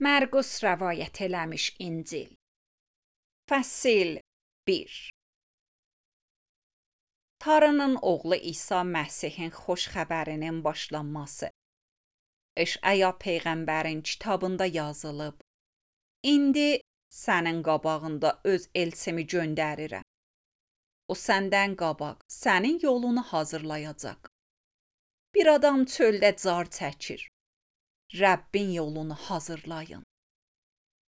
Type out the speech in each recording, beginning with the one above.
Mərqus rəvayət eləmiş İncil. Fəsil 1. Tanrının oğlu İsa Məsihin xoş xəbərinin başlanması. İşaya peyğəmbərin kitabında yazılıb. İndi sənin qabağında öz elçimi göndərirəm. O səndən qabaq sənin yolunu hazırlayacaq. Bir adam çöldə car çəkir. Rəbbin yolunu hazırlayın.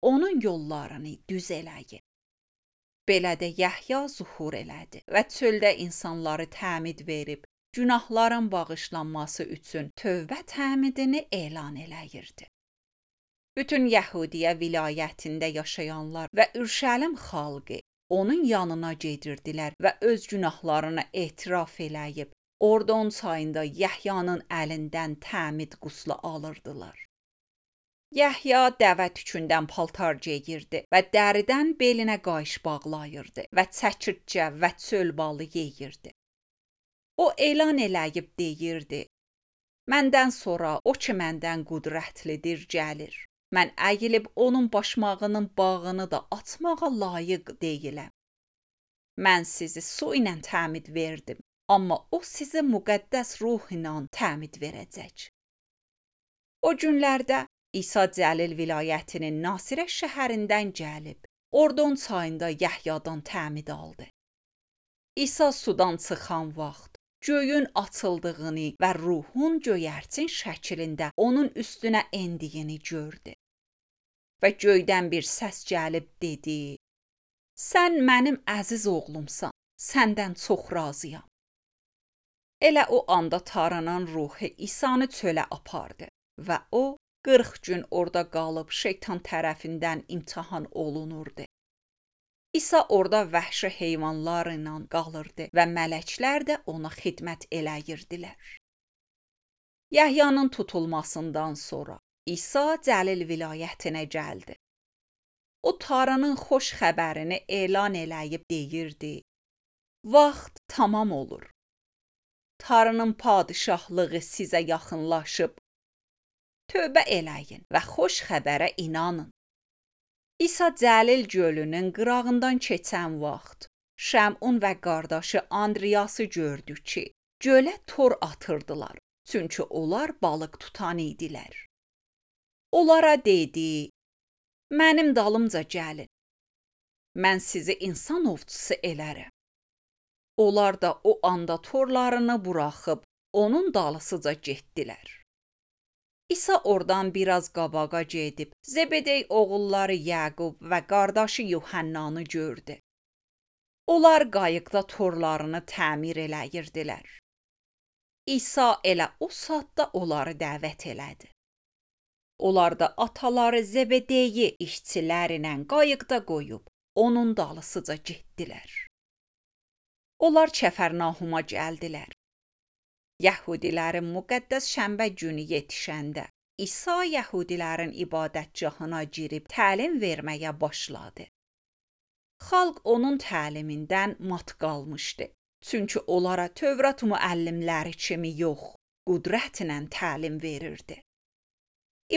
Onun yollarını düz eləyin. Belə də Yəhya zuhur elədi və çöldə insanları təmid verib, günahların bağışlanması üçün tövbə təmidini elan eləyirdi. Bütün Yəhudiyyə vilayətində yaşayanlar və Ürşəlim xalqı onun yanına gedirdilər və öz günahlarını etiraf eləyib, Ordon çayında Yəhyanın əlindən təmid quslu alırdılar. Yəhya dəvə tükündən paltar geyirdi və dəridən belinə qayış bağlayırdı və çəkirtcə və çöl balı yeyirdi. O elan eləyib deyirdi, məndən sonra o ki məndən qüdrətlidir gəlir. Mən əyilib onun başmağının bağını da açmağa layiq deyiləm. Mən sizi su ilə təmid verdim, amma o sizi müqəddəs ruh ilə təmid verəcək. O günlərdə İsa Cəlil vilayətinin Nasirə şəhərindən gəlib, Ordon çayında Yəhyadan təmid aldı. İsa sudan çıxan vaxt, göyün açıldığını və ruhun göyərçin şəklində onun üstünə endiyini gördü. Və göydən bir səs gəlib dedi, sən mənim əziz oğlumsan, səndən çox razıyam. Elə o anda Tanrının ruhu İsanı çölə apardı və o 40 gün orada qalıb şeytan tərəfindən imtahan olunurdu. İsa orada vəhşi heyvanlar ilə qalırdı və mələklər də ona xidmət eləyirdilər. Yəhyanın tutulmasından sonra İsa Cəlil vilayətinə gəldi. O Tanrının xoş xəbərini elan eləyib deyirdi, vaxt tamam olur. Tanrının padişahlığı sizə yaxınlaşıb, tövbə eləyin və xoş xəbərə inanın. İsa Cəlil gölünün qırağından keçən vaxt, Şəmun və qardaşı Andriyası gördü ki, gölə tor atırdılar, çünki onlar balıq tutan idilər. Onlara dedi, mənim dalımca gəlin, mən sizi insan ovçusu elərəm. Onlar da o anda torlarını buraxıb, onun dalısıca getdilər. İsa oradan biraz qabağa gedib, Zebedey oğulları Yaqub və qardaşı Yuhannanı gördü. Onlar qayıqda torlarını təmir eləyirdilər. İsa elə o saatda onları dəvət elədi. Onlar da ataları Zebedeyi işçilərlə qayıqda qoyub, onun dalısıca getdilər. Onlar Kəfərnahuma gəldilər. Yəhudilərin müqəddəs şənbə günü yetişəndə İsa yəhudilərin ibadətgahına girib təlim verməyə başladı. Xalq onun təlimindən mat qalmışdı. Çünki onlara Tövrat müəllimləri kimi yox, qüdrətlə təlim verirdi.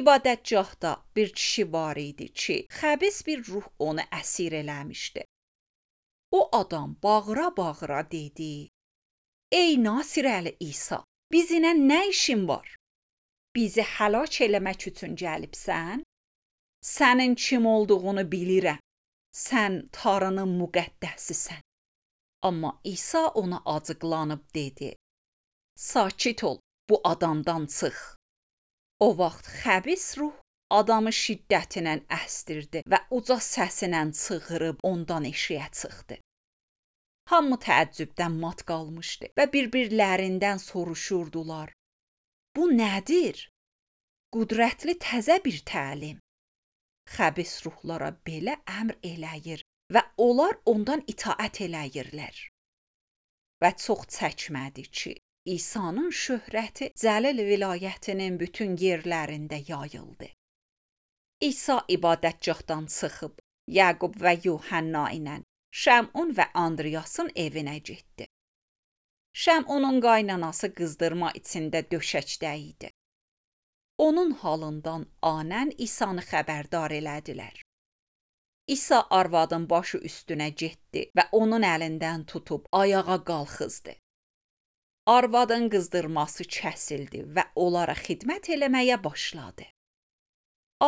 İbadətgahda bir kişi var idi ki, xəbis bir ruh onu əsir eləmişdi. O adam bağıra-bağıra dedi, ey Nasirəli İsa, bizimlə nə işin var? Bizi həlak eləmək üçün gəlibsən? Sənin kim olduğunu bilirəm. Sən Tanrının müqəddəsisən. Amma İsa ona acıqlanıb dedi, sakit ol, bu adamdan çıx. O vaxt xəbis ruh adamı şiddətlə əsdirdi və uca səsinə çığırıb ondan eşiyə çıxdı. Hamı təəccübdən mat qalmışdı və bir-birlərindən soruşurdular. Bu nədir? Qüdrətli təzə bir təlim. Xəbis ruhlara belə əmr eləyir və onlar ondan itaət eləyirlər. Və çox çəkmədi ki, İsa'nın şöhrəti Cəlil vilayətinin bütün yerlərində yayıldı. İsa ibadətgahdan çıxıb, Yaqub və Yuhanna ilə Şəmun və Andriyasın evinə getdi. Şəmunun qaynanası qızdırma içində döşəkdə idi. onun halından anən İsanı xəbərdar elədilər. İsa arvadın başı üstünə getdi və onun əlindən tutub ayağa qalxızdı. Arvadın qızdırması kəsildi və onlara xidmət eləməyə başladı.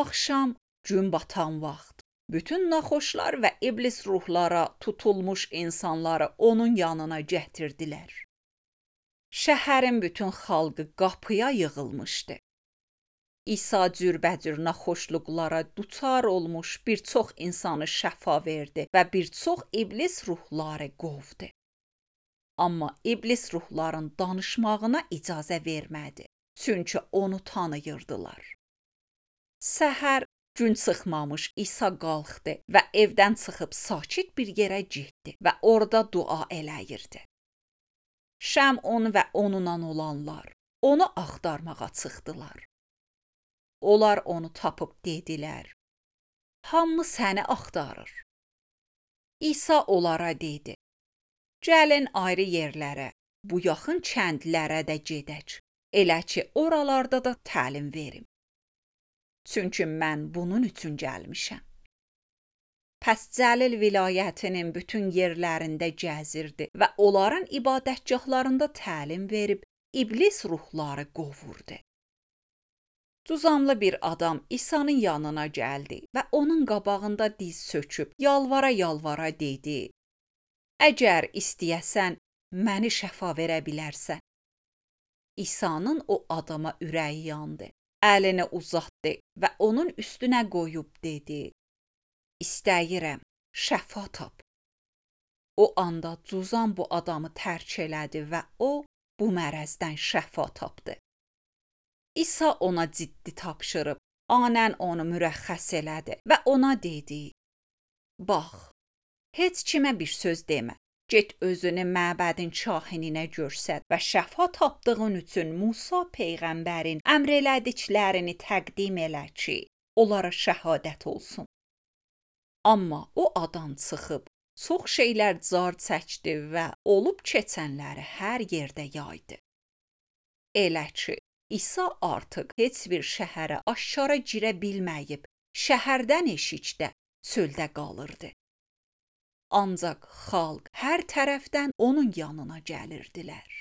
Axşam gün batan vaxt bütün naxoşlar və iblis ruhlara tutulmuş insanları onun yanına gətirdilər. Şəhərin bütün xalqı qapıya yığılmışdı. İsa cürbəcür naxoşluqlara duçar olmuş bir çox insanı şəfa verdi və bir çox iblis ruhları qovdu. Amma iblis ruhların danışmağına icazə vermədi, çünki onu tanıyırdılar. Səhər gün çıxmamış İsa qalxdı və evdən çıxıb sakit bir yerə getdi və orada dua eləyirdi. Şəmun və onunla olanlar onu axtarmağa çıxdılar. Onlar onu tapıb dedilər: "Hamı səni axtarır." İsa onlara dedi: "Gəlin ayrı yerlərə, bu yaxın kəndlərə də gedək, elə ki oralarda da təlim verim. Çünki mən bunun üçün gəlmişəm." Pəs Cəlil vilayətinin bütün yerlərində gəzirdi və onların ibadətgahlarında təlim verib iblis ruhları qovurdu. Cüzamlı bir adam İsa'nın yanına gəldi və onun qabağında diz söküb yalvara-yalvara dedi: "Əgər istəyəsən, məni şəfa verə bilərsən." İsa'nın o adama ürəyi yandı. Əlini uzatdı və onun üstünə qoyub dedi: "İstəyirəm, şəfa tap." O anda cüzam bu adamı tərk elədi və o bu mərəzdən şəfa tapdı. İsa ona ciddi tapşırıb, anən onu mürəxxəs elədi və ona dedi: "Bax, heç kimə bir söz demə. Get özünü məbədin kahininə göstər və şəfa tapdığın üçün Musa peyğəmbərin əmr elədiklərini təqdim elə ki, onlara şəhadət olsun." Amma o adam çıxıb çox şeylər car çəkdi və olub keçənləri hər yerdə yaydı. Elə ki, İsa artıq heç bir şəhərə aşkara girə bilməyib, şəhərdən eşikdə çöldə qalırdı. Ancaq xalq hər tərəfdən onun yanına gəlirdilər.